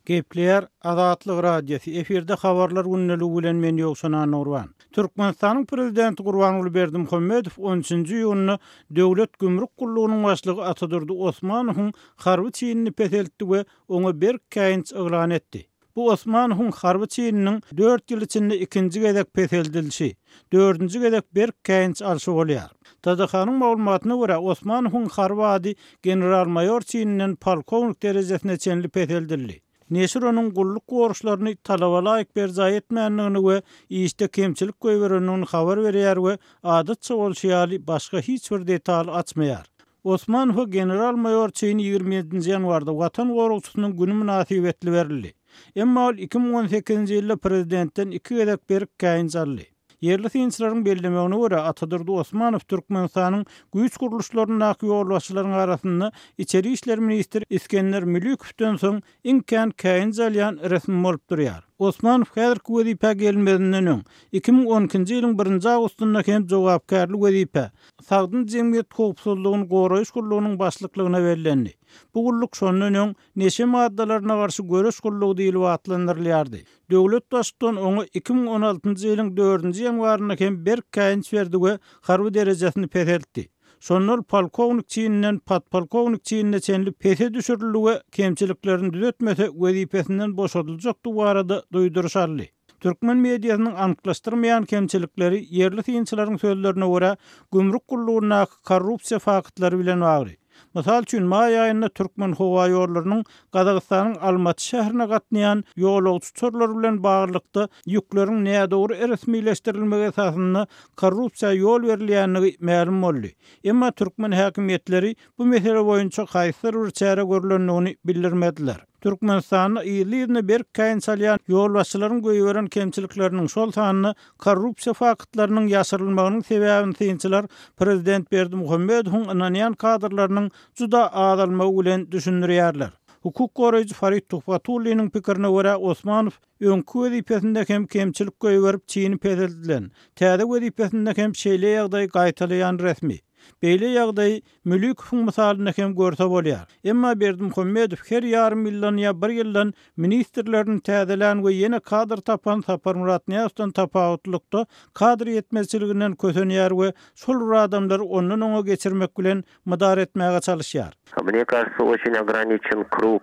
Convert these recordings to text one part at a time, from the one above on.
Gepleýär Azatlyk Radiosy, efirde Habarlar gündeligi bilen men Ýowşan Annagurban. Türkmenistanyň Prezidenti Gurbanguly Berdimuhamedow on üçünji iýunda Döwlet gümrük gullugynyň başlygy Atadurdy Osmanowyň harby çinini peseltdi we oňa berk käýinç yglan etdi. Bu Osmanowyň harby çininiň dört ýyl içinde ikinji gezek peseldilişi, dördünji gezek berk käýinç alşy bolýar. TDH-nyň maglumatyna görä, Osmanowyň harby ady general-maýor çininden polkownik derejesine çenli peseldildi. Neşir onuň gulluk borçlaryny talaba laýyk berjaý etmändigini we işde kemçilik goýberendigini habar berýär we adatça bolşy ýaly başga hiç bir detaly açmaýar. Osmanowa general-maýor çini 27-nji ýanwarda Watan goragçysynyň güni mynasybetli berildi. Emma ol 2018-nji ýylda prezidentden iki gezek berk käýinç aldy. Ýerli synçylaryň bellemegine görä, Atadurdy Osmanow Türkmenistanyň güýç gurluşlaryndaky ýolbaşçylaryň arasynda içeri işler ministri Isgender Mülükowdan soň iň kän käýinç alýan resmi bolup durýar. Osmanow häzirki wezipä gelmezinden öň, 2012-nji ýylyň birinji awgustynda hem jogapkärli wezipä, Sagdyn jemgyýet howpsuzlygyny goraýyş gullugynyň başlyklygyna bellendi. Bu gulluk şondan öň Neşe maddalaryna garşy göreş gullugy diýlip atlandyrylýardy. Döwlet Baştutan oňa 2016-njy ýylyň dördünji ýanwarynda hem berk käýinç berdi we harby derejesini peseltdi. Şonda ol polkownik çininden podpolkownik çinine çenli pese düşürildi we kemçiliklerini düzetmese wezipesinden boşadyljakdygy barada duýduryş aldy. Türkmen mediasynyň anyklaşdyrmaýan kemçilikleri ýerli synçylaryň sözlerine görä, gümrük gullugyndaky korrupsiýa faktlary bilen bagly. Mysal üçin, maý aýynda Türkmenhowaýollarynyň Gazagystanyň Almaty şäherine gatnaýan ýolagçy uçarlary bilen baglylykda ýükleriň nädogry resmileşdirilmegi esasynda korrupsiýa ýol berilýändigi mälim boldy. Emma türkmen häkimiýetleri bu mesele boýunça haýsydyr bir çäre görlendigini bildirmediler. Türkmenistanda yzly-yzyna berk käýinç alýan ýolbaşçylaryň goýberen kemçilikleriniň, şol sanda korrupsiýa faktlarynyň ýaşyrylmagynyň sebäbini synçylar prezident Berdimuhamedowyň ynanýan kadrlarynyň juda azalmagy bilen düşündirýärler. Hukuk goraýjy Farid Tuhbatulliniň pikirine görä, Osmanow öňki wezipesinde hem kemçilik goýberip çini peseldilen, täze wezipesinde hem şeýle ýagdaýy gaýtalaýan resmi. Beýle ýagdaýy Mülikowyň mysalynda hem görse bolýar. Emma Berdimuhamedow her ýarym ýyldan ýa bir ýyldan ministrlerini täzelän we ýene kadr tapan Saparmyrat Nyýazowdan tapawutlylykda kadr ýetmezçiliginden kösenýär we şol bir adamlary ondan oňa geçirmek bilen mydar etmäge çalyşýar. Mne кажется, очень ограничен круг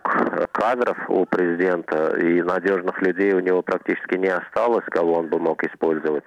кадров у президента, и надежных людей у него практически не осталось, кого он бы мог использовать,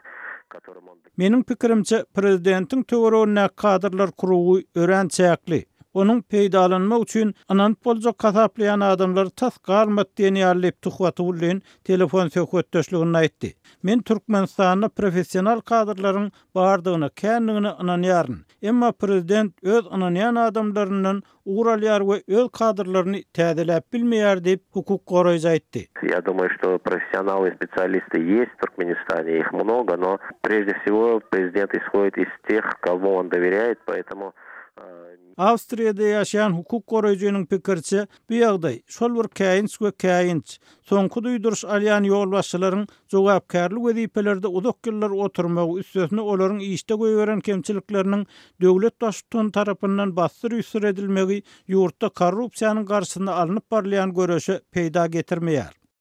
которым он. Meniň pikirimçe, prezidentiň töweregindäki kadrlar krugy örän çäkli. Onuň peýdalanmak üçin ynanyp boljak hasaplaýan adamlary tas galmady diýen ýaly diýip, Tuhbatullin telefon söhbetdeşliginde aýtdy. Men Türkmenistanda professional kadrlaryň bardygyna, kändigine ynanýaryn. Emma prezident öz ynanýan adamlaryndan ugur alýar we öz kadrlaryny täzeläp bilmeýär diýip, hukuk goraýjy aýtdy. Ýa dumаю, что professionaly i specialisty есть в Turkmenistane, их много, но прежде всего prezident ishodit iz teh, komu on doveryaet, poetomu. Awstriýada ýaşaýan hukuk goraýjynyň pikiriçe, bu ýagdaý, şol bir käýinç we käýinç, soňky duýduryş alýan ýolbaşçylaryň jogapkärli wezipelerde uzak ýyllar oturmagy, üstesine olaryň işde goýberen kemçilikleriniň döwlet baştutany tarapyndan bassyr-üssür edilmegi ýurtda korrupsiýanyň garşysyna alnyp barylýan göreşe peýda getirmeýär.